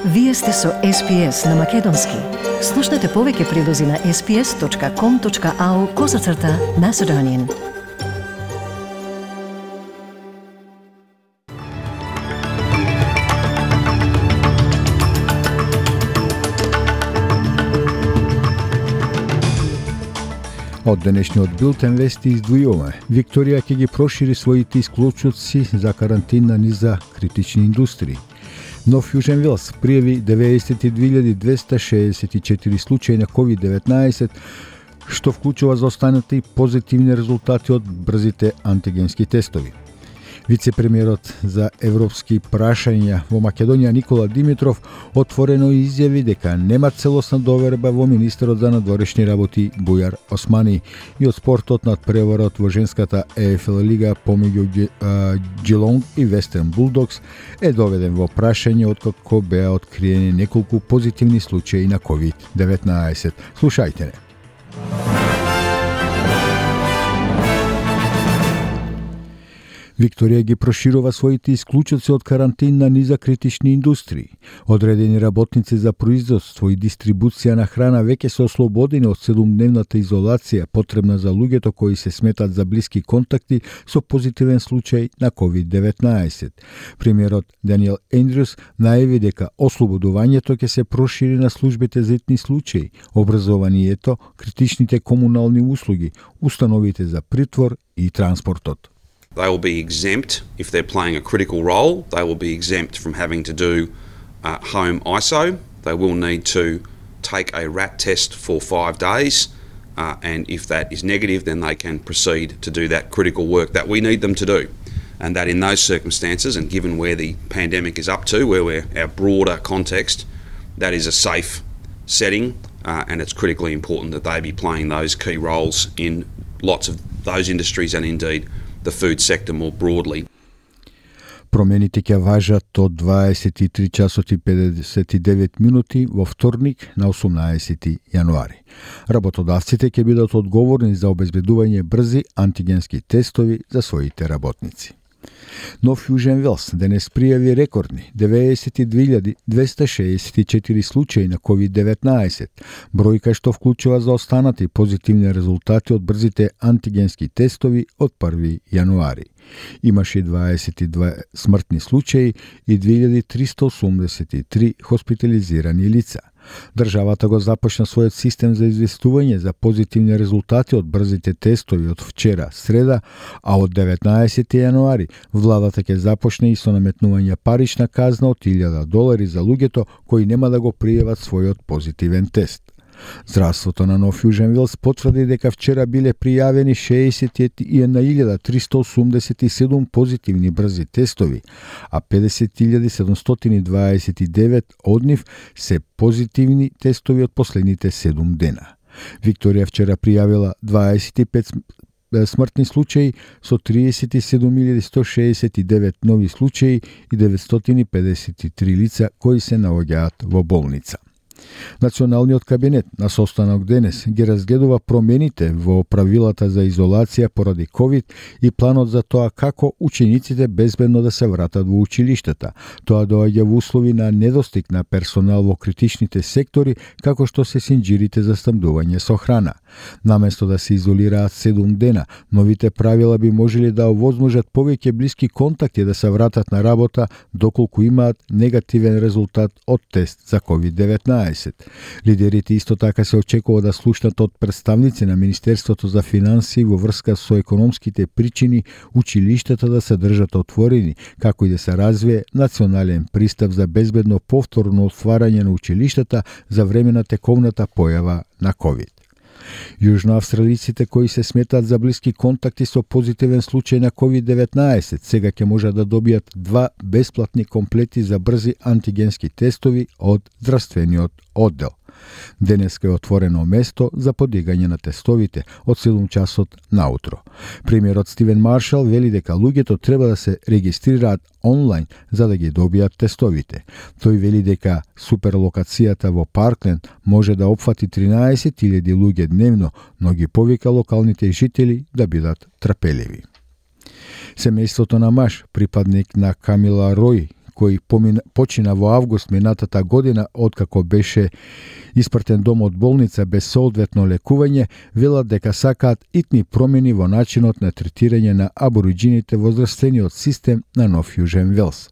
Вие сте со SPS на Македонски. Слушнете повеќе прилози на sps.com.au/Macedonian. Од денешниот билтен вести издвојуваме. Викторија ќе ги прошири своите исклучоци за карантина низ за критични индустрии. Нов Јужен Велс пријави 92.264 случаи на COVID-19, што вклучува заостанати позитивни резултати од брзите антигенски тестови. Вице-премиерот за европски прашања во Македонија Никола Димитров отворено изјави дека нема целосна доверба во министерот за надворешни работи Бујар Османи и од спортот над преварот во женската ЕФЛ лига помеѓу Джилонг и Вестерн Булдокс е доведен во прашање откако беа откриени неколку позитивни случаи на COVID-19. Слушајте не. Викторија ги проширува своите исклучоци од карантина низ за критични индустрии. Одредени работници за производство и дистрибуција на храна веќе се ослободени од 7-дневната изолација потребна за луѓето кои се сметат за блиски контакти со позитивен случај на COVID-19. Премиерот Даниел Ендрюс најави дека ослободувањето ќе се прошири на службите за итни случаи, образованието, критичните комунални услуги, установите за притвор и транспортот. They will be exempt if they're playing a critical role. They will be exempt from having to do home ISO. They will need to take a RAT test for 5 days, and if that is negative, then they can proceed to do that critical work that we need them to do. And that in those circumstances, and given where the pandemic is up to, where we're our broader context, that is a safe setting, and it's critically important that they be playing those key roles in lots of those industries and indeed the food sector more broadly. Промените ќе важат од 23 часот и 59 минути во вторник на 18 јануари. Работодавците ќе бидат одговорни за обезбедување брзи антигенски тестови за своите работници. Нов Јужен Велс денес пријави рекордни 92.264 случаи на COVID-19, бројка што вклучува заостанати позитивни резултати од брзите антигенски тестови од 1 јануари. Имаше 22 смртни случаи и 2383 хоспитализирани лица. Државата го започна својот систем за известување за позитивни резултати од брзите тестови од вчера, среда, а од 19 јануари владата ќе започне и со наметнување парична казна од $1000 за луѓето кои нема да го пријават својот позитивен тест. Здравството на Нов Јужен Велс потврди дека вчера биле пријавени 61.387 позитивни брзи тестови, а 50.729 од нив се позитивни тестови од последните 7 дена. Викторија вчера пријавила 25 смртни случаи со 37.169 нови случаи и 953 лица кои се наоѓаат во болница. Националниот кабинет на состанок денес ги разгледува промените во правилата за изолација поради COVID и планот за тоа како учениците безбедно да се вратат во училиштата. Тоа доаѓа во услови на недостиг на персонал во критичните сектори, како што се синџирите за снабдување со храна. Наместо да се изолираат 7 дена, новите правила би можеле да овозможат повеќе блиски контакти да се вратат на работа доколку имаат негативен резултат од тест за COVID-19. Лидерите исто така се очекува да слушнат од представници на Министерството за финансии во врска со економските причини училиштата да се држат отворени, како и да се развие национален пристап за безбедно повторно отварање на училиштата за време на тековната појава на COVID. Јужноавстралиците кои се сметаат за блиски контакти со позитивен случај на COVID-19 сега ќе можат да добијат 2 бесплатни комплети за брзи антигенски тестови од здравствениот оддел. Денеска е отворено место за подигање на тестовите од 7 часот наутро. Премиерот Стивен Маршал вели дека луѓето треба да се регистрираат онлайн за да ги добијат тестовите. Тој вели дека суперлокацијата во Паркленд може да опфати 13.000 луѓе дневно, но ги повика локалните жители да бидат трпеливи. Семејството на Маш, припадник на Камила Рој, кој почина во август минатата година откако беше испратен дома од болница без соодветно лекување, велат дека сакаат итни промени во начинот на третирање на абориџините во здравствениот систем на Нов Јужен Велс.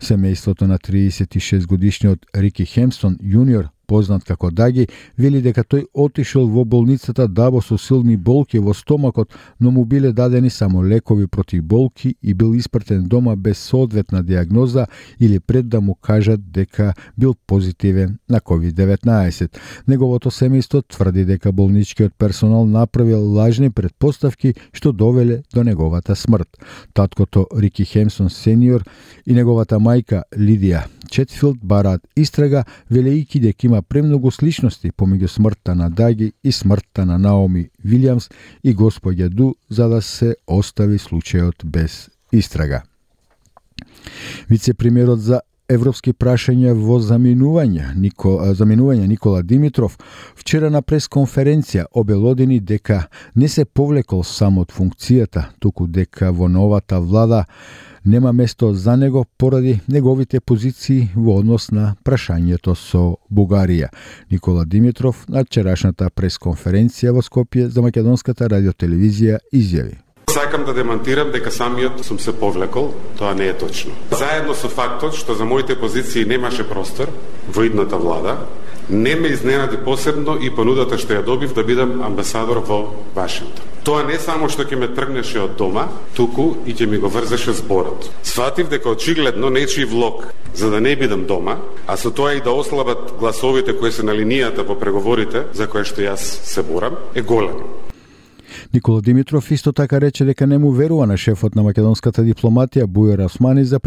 Семејството на 36 годишниот Рики Хемстон јуниор, познат како Даги, вели дека тој отишол во болницата дабо со силни болки во стомакот, но му биле дадени само лекови против болки и бил испратен дома без соодветна диагноза или пред да му кажат дека бил позитивен на COVID-19. Неговото семејство тврди дека болничкиот персонал направил лажни претпоставки што довеле до неговата смрт. Таткото Рики Хемстон сениор и неговата мајка Лидија Четфилд бараат истрага, велејќи дека има премногу сличности помеѓу смртта на Даги и смртта на Наоми Вилијамс и госпоѓа Ду, за да се остави случајот без истрага. Вице-премиерот за европски прашања во заминување Никола Димитров вчера на пресконференција обелодени дека не се повлекол само од функцијата, туку дека во новата влада нема место за него поради неговите позиции во однос на прашањето со Бугарија. Никола Димитров на вчерашната пресконференција во Скопје за македонската радиотелевизија изјави: Сакам да демонтирам дека самиот сум се повлекол, тоа не е точно. Заедно со фактот што за моите позиции немаше простор во идната влада, не ме изненади посебно и понудата што ја добив да бидам амбасадор во Вашингтон. Тоа не само што ќе ме тргнеше од дома, туку и ќе ми го врзеше зборот. Сватив дека очигледно нечи влог за да не бидам дома, а со тоа и да ослабат гласовите кои се на линијата во преговорите за кои што јас се борам, е голем. Никола Димитров исто така рече дека не му верува на шефот на македонската дипломатија Бујар Османи за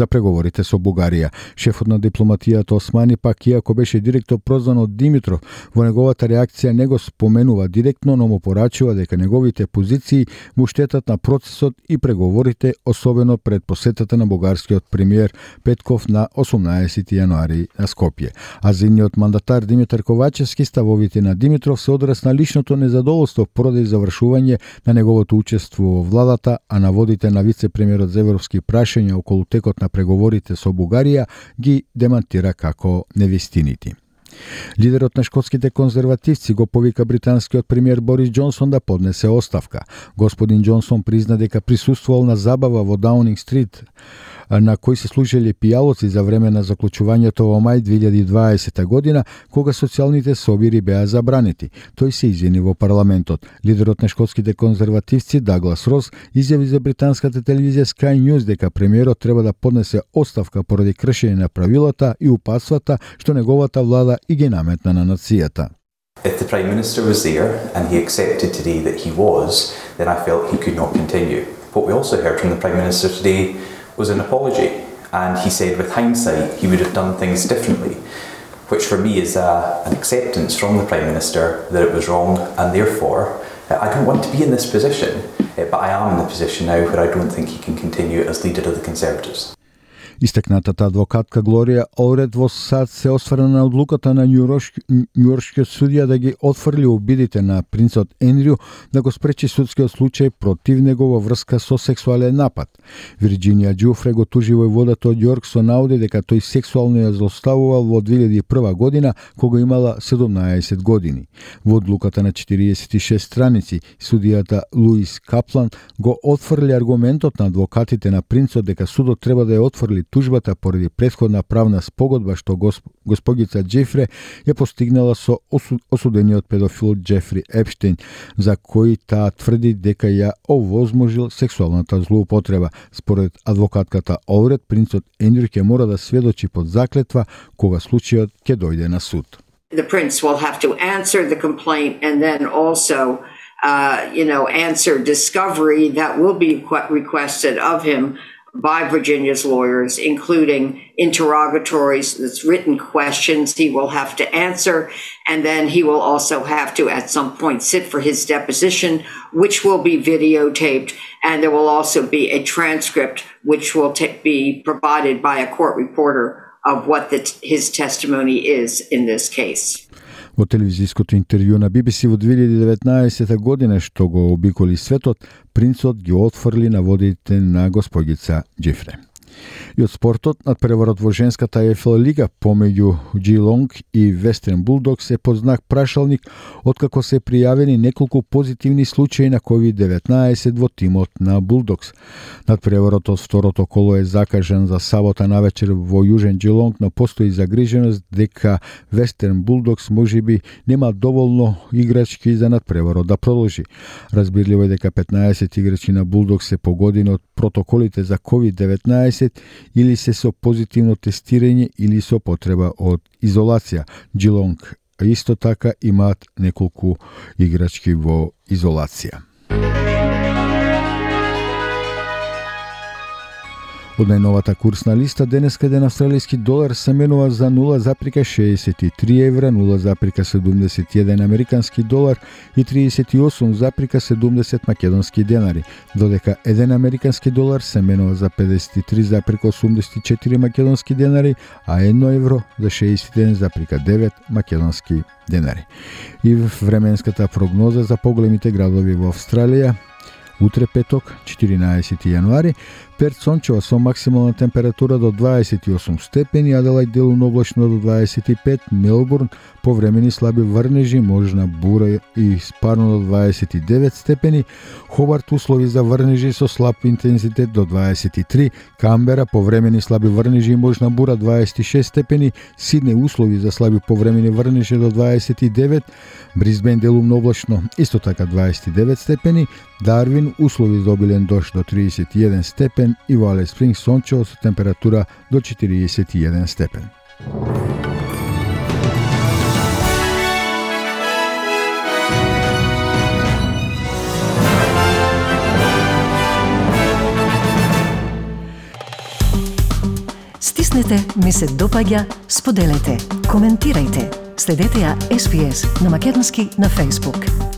преговорите со Бугарија. Шефот на дипломатијата Османи пак, иако беше директно прозван од Димитров, во неговата реакција не го споменува директно, но му порачува дека неговите позиции му штетат на процесот и преговорите, особено пред посетата на бугарскиот премиер Петков на 18 јануари на Скопје. А земниот мандатар Димитар Ковачевски ставовите на Димитров се одраз на личното незадоволство поради завршување на неговото учество во владата, а наводите на вице-премиерот за европски прашања околу текот на преговорите со Бугарија ги демантира како невистинити. Лидерот на шкотските конзервативци го повика британскиот премиер Борис Џонсон да поднесе оставка. Господин Џонсон призна дека присуствувал на забава во Даунинг Стрит, на кој се служеле пијалоци за време на заклучувањето во мај 2020 година, кога социјалните собири беа забранети. Тој се извини во парламентот. Лидерот на шкотските конзервативци Даглас Рос изјави за британската телевизија Sky News дека премиерот треба да поднесе оставка поради кршење на правилата и упатствата што неговата влада и ги наметна на нацијата. If the Prime Minister was there and he accepted today that he was, then I felt he could not continue. What we also heard from the Prime Minister today was an apology, and he said with hindsight he would have done things differently, which for me is an acceptance from the Prime Minister that it was wrong, and therefore I don't want to be in this position, but I am in the position now where I don't think he can continue as leader of the Conservatives. Истакнатата адвокатка Глорија Олред во САД се осврна на одлуката на њујоршкиот судија да ги отфрли обидите на принцот Ендрю да го спречи судскиот случај против него во врска со сексуален напад. Вирџинија Џуфре го тужи војводата од Јорк со наоди дека тој сексуално ја злоставувал во 2001 година кога имала 17 години. Во одлуката на 46 страници судијата Луис Каплан го отфрли аргументот на адвокатите на принцот дека судот треба да ја отфрли тужбата поради претходна правна спогодба што госпогица Џефре ја постигнала со осудениот педофил Џефри Епштейн, за кој таа тврди дека ја овозможил сексуалната злоупотреба. Според адвокатката Олред, принцот Ендрю ќе мора да сведочи под заклетва кога случајот ќе дојде на суд. The prince will have to answer the complaint and then also answer discovery that will be requested of him by Virginia's lawyers, including interrogatories, that's written questions he will have to answer, and then he will also have to at some point sit for his deposition, which will be videotaped, and there will also be a transcript which will be provided by a court reporter of what his testimony is in this case. Во телевизиското интервју на BBC во 2019 година што го обиколи светот, принцот ги отфрли наводите на госпогица Џефре. И од спортот, надпреварот во женската ЕФЛ лига помеѓу Geelong и Western Bulldogs е под знак прашалник откако се пријавени неколку позитивни случаи на COVID-19 во тимот на Bulldogs. Надпреварот од второто коло е закажан за сабота навечер во Јужен Geelong, но постои загриженост дека Western Bulldogs можеби нема доволно играчки за надпреварот да продолжи. Разбирливо е дека 15 играчи на Bulldogs се погодени од протоколите за COVID-19 или се со позитивно тестирање или со потреба од изолација. Geelong исто така имаат неколку играчки во изолација. Од најновата курсна листа, денеска еден австралиски долар се менува за 0,63 евра, 0,71 американски долар и 38,70 македонски денари, додека еден американски долар се менува за 53,84 македонски денари, а 1 евро за 61,9 македонски денари. И временската прогноза за поголемите градови во Австралија: утре петок, 14 јануари, Перт сончева со максимална температура до 28 степени, Аделајд делумно облачно до 25, Мелбурн повремени слаби врнежи, можна бура и спарно до 29 степени, Хобарт услови за врнежи со слаб интензитет до 23, Камбера повремени слаби врнежи и можна бура 26 степени, Сиднеј услови за слаби повремени врнежи до 29, Брисбен делумно облачно исто така 29 степени, Дарвин услови за обилен дожд до 31 степен и во Алис Спрингс сончево со температура до 41 степен. Стиснете, ми се допаѓа, споделете, коментирајте. Следете ја SPS на Македонски на Facebook.